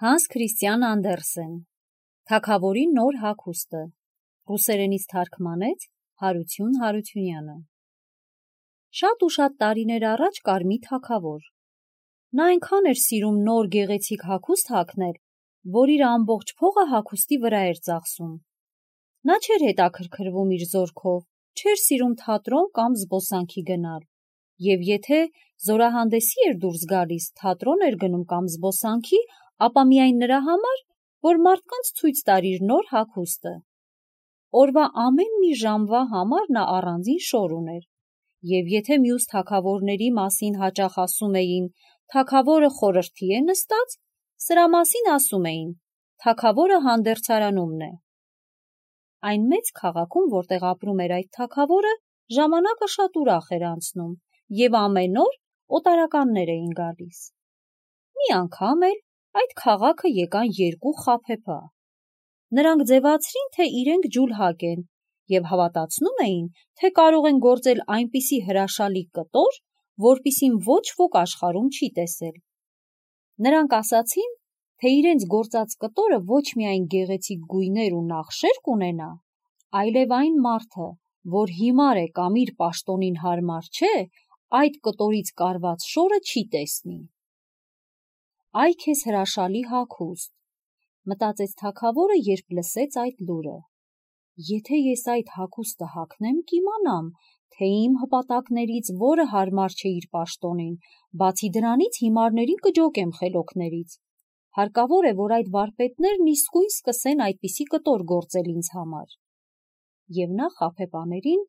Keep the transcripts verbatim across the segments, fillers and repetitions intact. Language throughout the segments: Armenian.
Հանս Քրիստիան Անդերսեն Թագավորի նոր հագուստը ռուսերենից թարգմանեց Հարություն Հարությունյանը։ Շատ ու շատ տարիներ առաջ կար մի թագավոր։ Նա այնքան էր սիրում նոր գեղեցիկ հագուստ հագնել, որ իր ամբողջ փողը հագուստի վրա էր ծախսում։ Նա չէր հետաքրքրվում իր զորքով, չէր սիրում թատրոն կամ զբոսանքի գնալ, եւ եթե զորահանդեսի էր դուրս գալիս, թատրոն էր գնում կամ զբոսանքի, ապա միայն նրա համար, որ մարդկանց ցույց տար իր նոր հագուստը։ Օրվա ամեն մի ժամվա համար նա առանձին շոր ուներ, եւ եթե մյուս թագավորների մասին հաճախ ասում էին «թագավորը խորհրդի է նստած», սրա մասին ասում էին «թագավորը հանդերձարանումն է»։ Այն մեծ քաղաքում, որտեղ ապրում էր այդ թագավորը, ժամանակը շատ ուրախ էր անցնում, եւ ամեն օր օտարականներ էին գալիս։ Մի անգամ էլ այդ քաղաքը եկան երկու խաբեբա։ Նրանք ձևացրին, թե իրենք ջուլհակ են, եւ հավատացնում էին, թե կարող են գործել այնպիսի հրաշալի կտոր, որպիսին ոչ ոք աշխարհում չի տեսել։ Նրանք ասացին, թե իրենց գործած կտորը ոչ միայն գեղեցիկ գույներ ու նախշեր կունենա, այլև այն մարդը, որ հիմար է կամ իր պաշտոնին հարմար չէ, այդ կտորից կարված շորը չի տեսնի։ Այ քեզ հրաշալի հագուստ, մտածեց թագավորը, երբ լսեց այդ լուրը։ Եթե ես այդ հագուստը հագնեմ, կիմանամ, թե իմ հպատակներից որը հարմար չէ իր պաշտոնին, բացի դրանից հիմարներին կջոկեմ խելոքներից։ Հարկավոր է, որ այդ վարպետներն իսկույն սկսեն այդպիսի կտոր գործել ինձ համար։ Եվ նա խաբեբաներին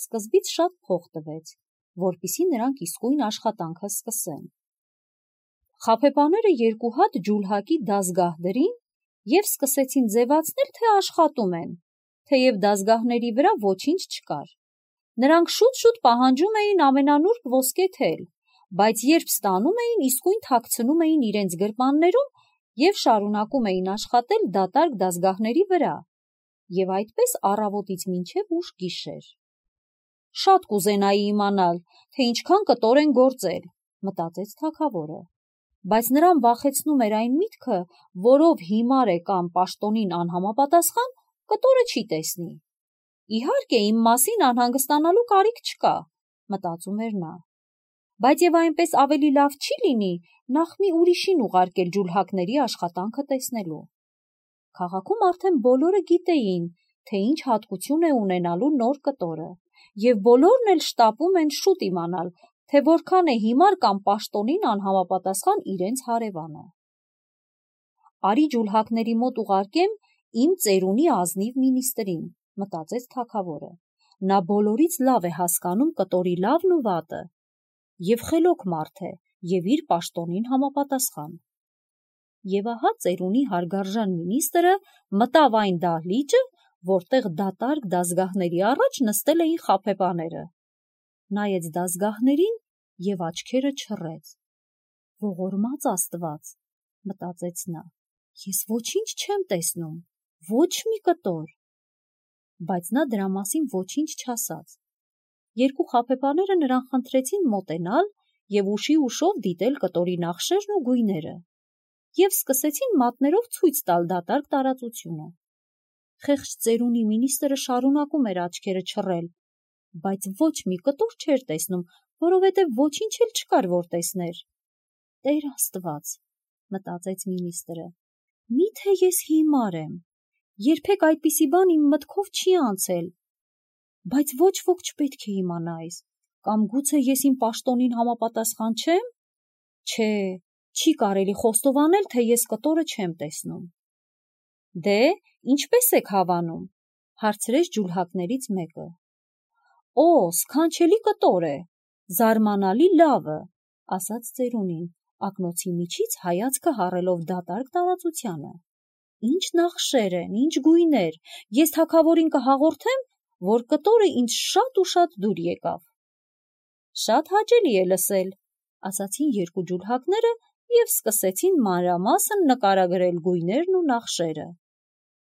սկզբից շատ փող տվեց, որպեսզի նրանք իսկույն աշխատանքը սկսեն։ Խաբեբաները երկու հատ ջուլհակի դազգահ դրին եւ սկսեցին ձևացնել, թե աշխատում են, թեև դազգահների վրա ոչինչ չկար։ Նրանք շուտ-շուտ պահանջում էին ամենանուրբ ոսկե թել, բայց երբ ստանում էին, իսկույն թաքցնում էին իրենց գրպաններում եւ շարունակում էին աշխատել դատարկ դազգահների վրա, եւ այդպես առավոտից մինչեւ ուշ գիշեր։ Շատ կուզենայի իմանալ, թե ինչքան կտոր են գործել, մտածեց թագավորը, բայց նրան վախեցնում էր այն միտքը, որով հիմար է կամ պաշտոնին անհամապատասխան, կտորը չի տեսնի։ Իհարկե, իմ մասին անհանգստանալու կարիք չկա, մտածում էր նա, բայց եւ այնպես ավելի լավ չի լինի նախ մի ուրիշին ուղարկել ջուլհակների աշխատանքը տեսնելու։ Քաղաքում արդեն բոլորը գիտեին, թե ինչ հատկություն է ունենալու նոր կտորը, եւ բոլորն էլ շտապում են շուտ իմանալ, թե որքան է հիմար կամ պաշտոնին անհամապատասխան իրենց հարևանը։ Արի ջուլհակների մոտ ուղարկեմ իմ ծերունի ազնիվ մինիստրին, մտածեց թագավորը։ Նա բոլորից լավ է հասկանում կտորի լավն ու վատը, եւ խելոք մարդ է, եւ իր պաշտոնին համապատասխան։ Եվ ահա ծերունի հարգարժան մինիստրը մտավ այն դահլիճը, որտեղ դատարկ դազգահների առաջ նստել էին խաբեբաները։ Նայեց դազգահներին եւ աչքերը չռեց։ Ողորմած Աստված, մտածեց նա, ես ոչինչ չեմ տեսնում, ոչ մի կտոր։ Բայց նա դրա մասին ոչինչ չասաց։ Երկու խաբեբաները նրան խնդրեցին մոտենալ եւ ուշի ուշով դիտել կտորի նախշերն ու գույները, եւ սկսեցին մատներով ցույց տալ դատարկ տարածությունը։ Խեղճ ծերունի մինիստրը շարունակում էր աչքերը չռել, բայց ոչ մի կտոր չէր տեսնում, որովհետև ոչինչ էլ չկար, որ տեսներ։ Տեր Աստված, մտածեց մինիստրը, միթե ես հիմար եմ, երբեք այդպիսի բան իմ մտքով չի անցել, բայց ոչ ոք չպետք է իմանա այս, կամ գուցե ես իմ պաշտոնին համապատասխան չեմ։ Չէ, չի կարելի խոստովանել, թե ես կտորը չեմ տեսնում։ Դե, ինչպես եք հավանում, հարցրեց ջուլհակներից մեկը։ Օ, սքանչելի կտոր է, զարմանալի լավը, ասաց ծերունին, ակնոցի միջից հայացքը հառելով դատարկ տարածությանը։ Ինչ նախշեր են, ինչ գույներ, ես թագավորին կհաղորդեմ, որ կտորը ինձ շատ ու շատ դուր եկավ։ Շատ հաճելի է լսել, ասացին երկու ջուլհակները եւ սկսեցին մանրամասն նկարագրել գույներն ու նախշերը։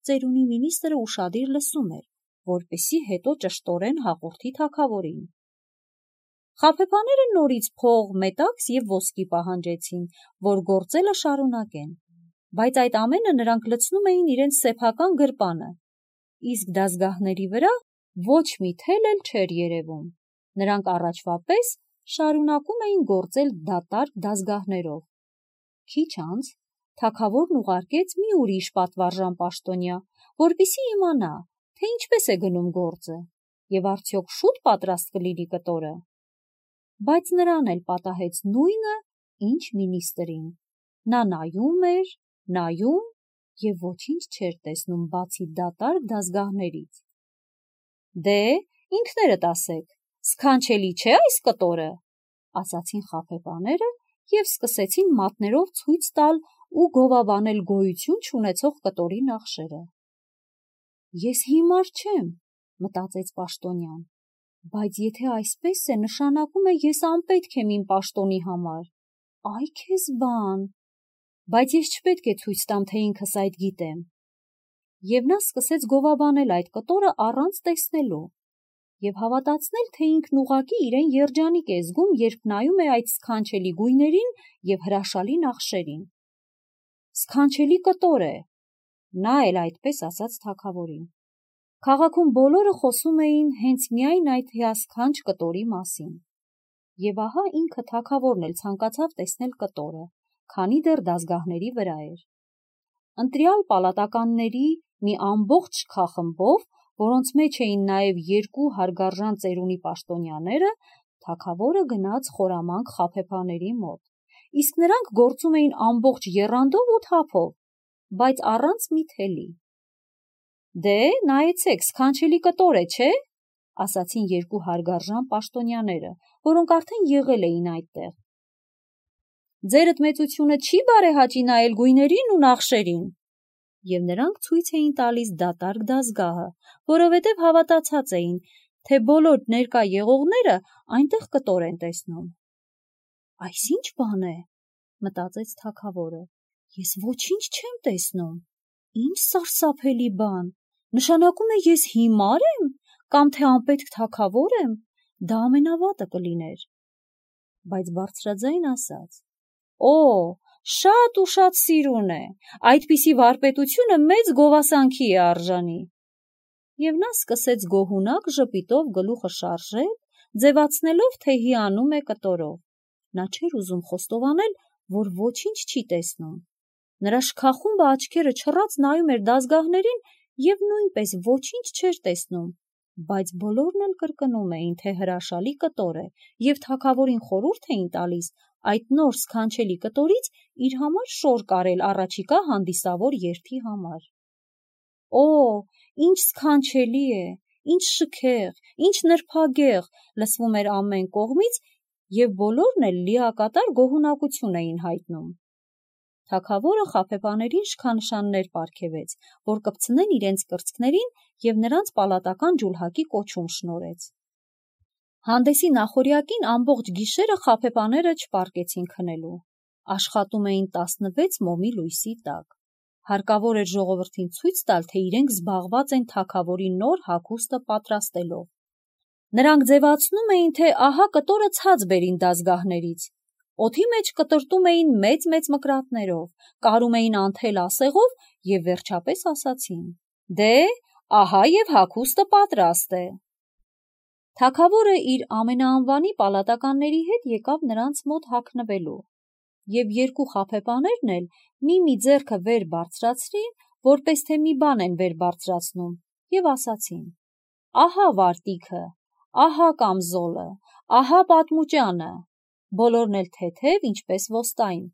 Ծերունի մինիստրը ուշադիր լսում էր, որպեսզի հետո ճշտորեն հաղորդի թագավորին։ Խաբեբաները նորից փող, մետաքս եւ ոսկի պահանջեցին, որ գործելը շարունակեն, բայց այդ ամենը նրանք լցնում էին իրենց սեփական գրպանը, իսկ դազգահների վրա ոչ մի թել էլ չէր երևում, նրանք առաջվա պես շարունակում էին գործել դատարկ դազգահներով։ Քիչ անց թագավորն ուղարկեց մի ուրիշ պատվարժան պաշտոնյա, որպեսզի իմանա, թե ինչպես է գնում գործը, եւ արդյոք շուտ պատրաստ կլինի կտորը։ Բայց նրան էլ պատահեց նույնը, ինչ մինիստրին։ Նա նայում էր, նայում եւ ոչինչ չէր տեսնում բացի դատարկ դազգահներից։ Դե, ինքներդ ասեք, սքանչելի չէ այս կտորը, ասացին խաբեբաները եւ սկսեցին մատներով ցույց տալ ու գովաբանել գոյություն չունեցող կտորի նախշերը։ Ես հիմար չեմ, մտածեց պաշտոնյան, բայց եթե այսպես է, նշանակում է ես անպետք եմ իմ պաշտոնի համար։ Այ քեզ բան, բայց ես չպետք է ցույց տամ, թե ինքս այդ գիտեմ։ Եվ նա սկսեց գովաբանել այդ կտորը առանց տեսնելու եւ հավատացնել, թե ինքն ուղղակի իրեն երջանիկ է զգում, երբ նայում է այդ սքանչելի գույներին եւ հրաշալի նախշերին։ Սքանչելի կտոր է, նա էլ այդպես ասաց թագավորին։ Քաղաքում բոլորը խոսում էին հենց միայն այդ հիասքանչ կտորի մասին։ Եվ ահա ինքը թագավորն էլ ցանկացավ տեսնել կտորը, քանի դեռ դազգահների վրա էր։ Ընտրյալ պալատականների մի ամբողջ շքախմբով, որոնց մեջ էին նաև երկու հարգարժան ծերունի պաշտոնյաները, թագավորը գնաց խորամանկ խաբեբաների մոտ, իսկ նրանք գործում էին ամբողջ եռանդով ու թափով, բայց առանց մի թելի։ Դե, նայեցեք, սքանչելի կտոր է, չէ՞, ասացին երկու հարգարժան պաշտոնյաները, որոնք արդեն եղել էին այդտեղ։ Ձերդ մեծությունը չի բարեհաճի նայել գույներին ու նախշերին։ Եվ նրանք ցույց էին տալիս դատարկ դազգահը, որովհետև հավատացած էին, թե բոլոր ներկա եղողները այնտեղ կտոր են տեսնում։ Այս ի՞նչ բան է, մտածեց թագավորը, ես ոչինչ չեմ տեսնում, ինչ սարսափելի բան, նշանակում է ես հիմար եմ, կամ թե անպետք թագավոր եմ, դա ամենավատը կլիներ։ Բայց բարձրաձայն ասաց. Օ, շատ ու շատ սիրուն է, այդպիսի վարպետությունը մեծ գովասանքի է արժանի։ Եվ նա սկսեց գոհունակ ժպիտով գլուխը շարժել, ձևացնելով, թե հիանում է կտորով։ Նա չէր ուզում խոստովանել, որ ոչինչ չի տեսնում։ Նրա շքախումբը աչքերը չռած նայում էր դազգահներին եւ նույնպես ոչինչ չէր տեսնում, բայց բոլորն էլ կրկնում էին, թե հրաշալի կտոր է եւ թագավորին խորհուրդ էին տալիս այդ նոր սքանչելի կտորից իր համար շոր կարել առաջիկա հանդիսավոր երթի համար։ Օ, ինչ սքանչելի է, ինչ շքեղ, ինչ նրբագեղ, լսվում էր ամեն կողմից եւ բոլորն էլ լիակատար գոհունակություն էին հայտնում։ Թագավորը խաբեբաներին շքանշաններ պարգևեց, որ կպցնեն իրենց կրծքներին եւ նրանց պալատական ջուլհակի կոչում շնորհեց։ Հանդեսի նախօրյակին ամբողջ գիշերը խաբեբաները չպարկեցին քնելու։ Աշխատում էին տասնվեց մոմի լույսի տակ։ Հարկավոր էր ժողովրդին ցույց տալ, թե իրենք զբաղված են թագավորի նոր հագուստը պատրաստելով։ Նրանք ձևացնում էին, թե ահա կտորը ցած բերին դազգահներից։ Օդի մեջ կտրտում էին մեծ-մեծ մկրատներով, կարում էին անթել ասեղով եւ վերջապես ասացին. Դե, ահա եւ հագուստը պատրաստ է։ Թագավորը իր ամենաանվանի պալատականների հետ եկավ նրանց մոտ հագնվելու, եւ երկու խաբեբաներն էլ մի-մի ձեռքը վեր բարձրացրին, որպես թե մի բան են վեր բարձրացնում, եւ ասացին. Ահա վարտիքը, ահա կամզոլը, ահա պատմուճանը, բոլորն էլ թեթև, ինչպես ոստային։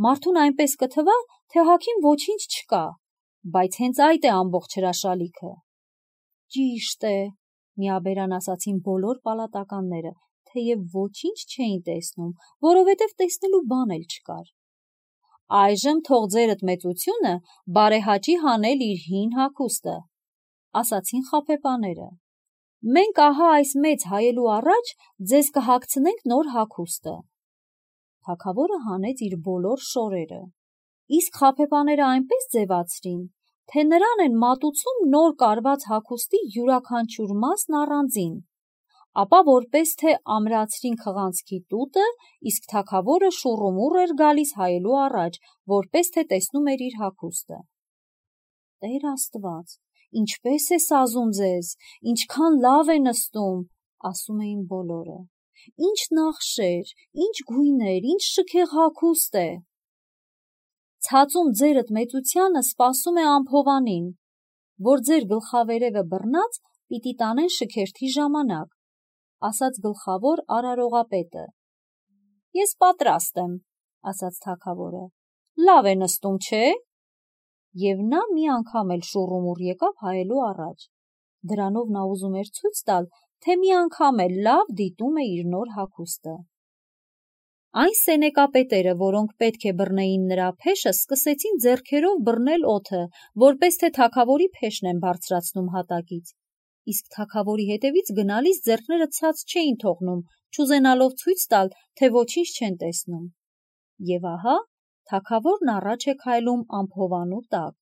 Մարդուն այնպես կթվա, թե հագին ոչինչ չկա, բայց հենց այդ է ամբողջ հրաշալիքը։ Ճիշտ է, միաբերան ասացին բոլոր պալատականները, թեև ոչինչ չէին տեսնում, որովհետև տեսնելու բան էլ չկար։ Այժմ թող ձերդ մեծությունը բարեհաճի հանել իր հին հագուստը, ասացին խաբեբաները։ Մենք ահա այս մեծ հայելու առաջ ձեզ կհագցնենք նոր հագուստը։ Թագավորը հանեց իր բոլոր շորերը, իսկ խաբեբաները այնպես ձևացրին, թե նրան են մատուցում նոր կարված հագուստի յուրաքանչյուր մասն առանձին, ապա որպես թե ամրացրին քղանցքի տուտը, իսկ թագավորը շուռումուռ էր գալիս հայելու առաջ, որպես թե տեսնում էր իր հագուստը։ Տեր Աստված, ինչպես է սազում ձեզ, ինչքան լավ է նստում, ասում էին բոլորը։ Ինչ նախշեր, ինչ գույներ, ինչ շքեղ հագուստ է։ Ցածում ձերդ մեծությանը սպասում է ամփովանին, որ ձեր գլխավերևը բռնած պիտի տանեն շքերթի ժամանակ, ասաց գլխավոր արարողապետը։ Ես պատրաստ եմ, ասաց թագավորը, լավ է նստում, չէ՞։ Եվ նա մի անգամ էլ շուռումուռ եկավ հայելու առաջ։ Դրանով նա ուզում էր ցույց տալ, թե մի անգամ էլ լավ դիտում է իր նոր հագուստը։ Այն սենեկապետերը, որոնք պետք է բռնեին նրա փեշը, սկսեցին ձեռքերով բռնել օդը, որպես թե թագավորի փեշն են բարձրացնում հատակից, իսկ թագավորի հետևից գնալիս ձեռքները ցած չէին թողնում, չուզենալով ցույց տալ, թե ոչինչ չեն տեսնում։ Եվ ահա թագավորն առաջ է քայլում ամփովանու տակ,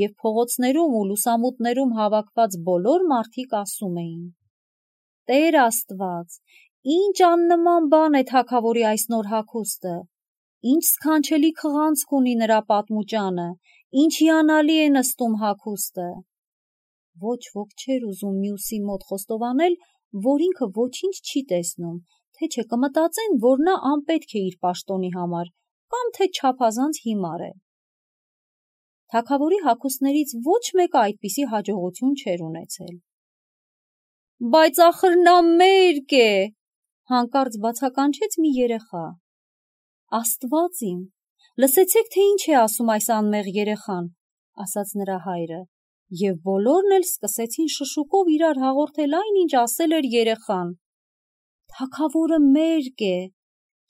և փողոցներում ու լուսամուտներում հավաքված բոլոր մարդիկ ասում էին. Տեր Աստված, ինչ աննման բան է թագավորի այս նոր հագուստը, ինչ սքանչելի քղանցք ունի նրա պատմուճանը, ինչ հիանալի է նստում հագուստը։ Ոչ ոք չէր ուզում մյուսի մոտ խոստովանել, որ ինքը ոչինչ չի տեսնում, թե չէ կմտածեն, որ նա անպետք է իր պաշտոնի համար, կամ թե չափազանց հիմար է։ Թագավորի հագուստներից ոչ մեկը այդպիսի հաջողություն չէր ունեցել։ Բայց ախր նա մերկ է, հանկարծ բացականչեց մի երեխա։ Աստված իմ, լսեցեք, թե ինչ է ասում այս անմեղ երեխան, ասաց նրա հայրը, և բոլորն էլ սկսեցին շշուկով իրար հաղորդել այն, ինչ ասել էր երեխան։ Թագավորը մերկ է,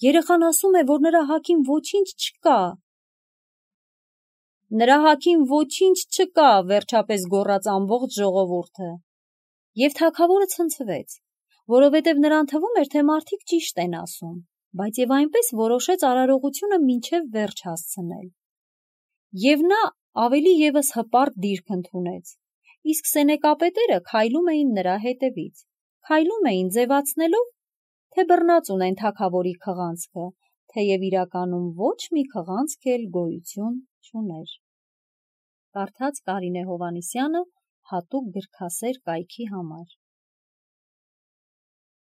երեխան ասում է, որ նրա հագին ոչինչ չկա։ Նրա հագին ոչինչ չկա, վերջապես գոռաց ամբողջ ժողովուրդը։ Եվ թագավորը ցնցվեց, որովհետև նրան թվում էր, թե մարդիկ ճիշտ են ասում, բայց և այնպես որոշեց արարողությունը մինչև վերջ հասցնել։ Եվ նա ավելի ևս հպարտ դիրք ընդունեց, իսկ սենեկապետերը քայլում էին նրա հետևից, քայլում էին ձևացնելով, թե բռնած ունեն թագավորի քղանցքը, թեև իրականում ոչ մի քղանցք էլ գոյություն չուներ։ Կարդաց Կարինե Հովհաննիսյանը հատուկ գրքասեր կայքի համար։